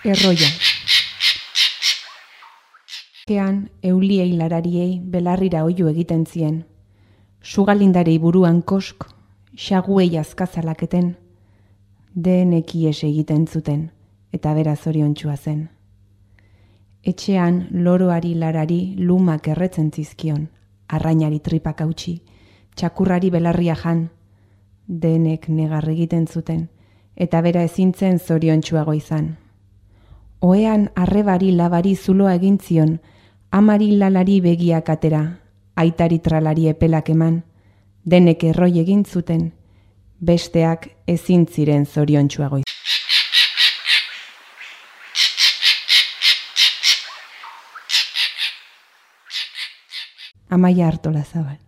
Erroia. Kean euliei larariei belarrira oihu egiten zien. Sugalindarei buruan kosk, xaguei azkazalaketen, denek ihes egiten zuten, eta bera zoriontsua zen. Etxean loroari larari lumak erretzen zizkion, arrainari tripak hautsi, txakurrari belarria jan, denek negar egiten zuten, eta bera ezintzen zoriontsuago izan. Ohean arrebari labari zuloa egin zion, amari lalari begiak atera, aitari tralari epelak eman, denek erroi egin zuten, besteak ezin ziren zoriontsuago izan. Amaia Artolazabal.